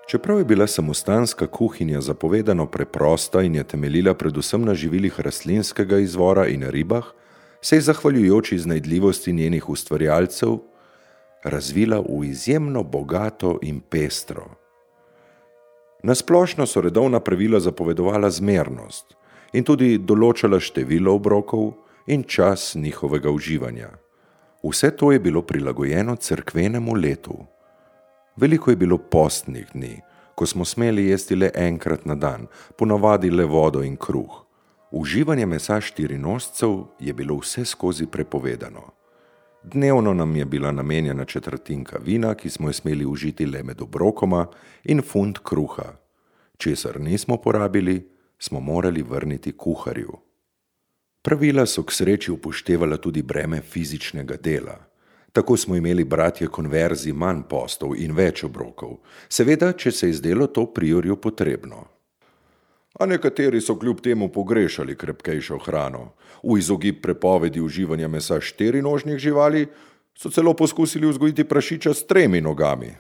Čeprav je bila samostanska kuhinja zapovedano preprosta in je temeljila predvsem na živilih rastlinskega izvora in ribah, se je zahvaljujoč iznajdljivosti njenih ustvarjalcev razvila v izjemno bogato in pestro. Nasplošno so redovna pravila zapovedovala zmernost in tudi določala število obrokov in čas njihovega uživanja. Vse to je bilo prilagojeno cerkvenemu letu. Veliko je bilo postnih dni, ko smo smeli jesti le enkrat na dan, ponavadi le vodo in kruh. Uživanje mesa štirinožcev je bilo vse skozi prepovedano. Dnevno nam je bila namenjena četrtinka vina, ki smo jo smeli užiti le med obrokoma, in funt kruha. Česar nismo porabili, smo morali vrniti kuharju. Pravila so k sreči upoštevala tudi breme fizičnega dela. Tako smo imeli bratje konverzij manj postov in več obrokov, seveda, če se je zdelo to priorju potrebno. A nekateri so kljub temu pogrešali krepkejšo hrano. V izogib prepovedi uživanja mesa štirinožnih živali so celo poskusili vzgojiti prašiča s 3 nogami.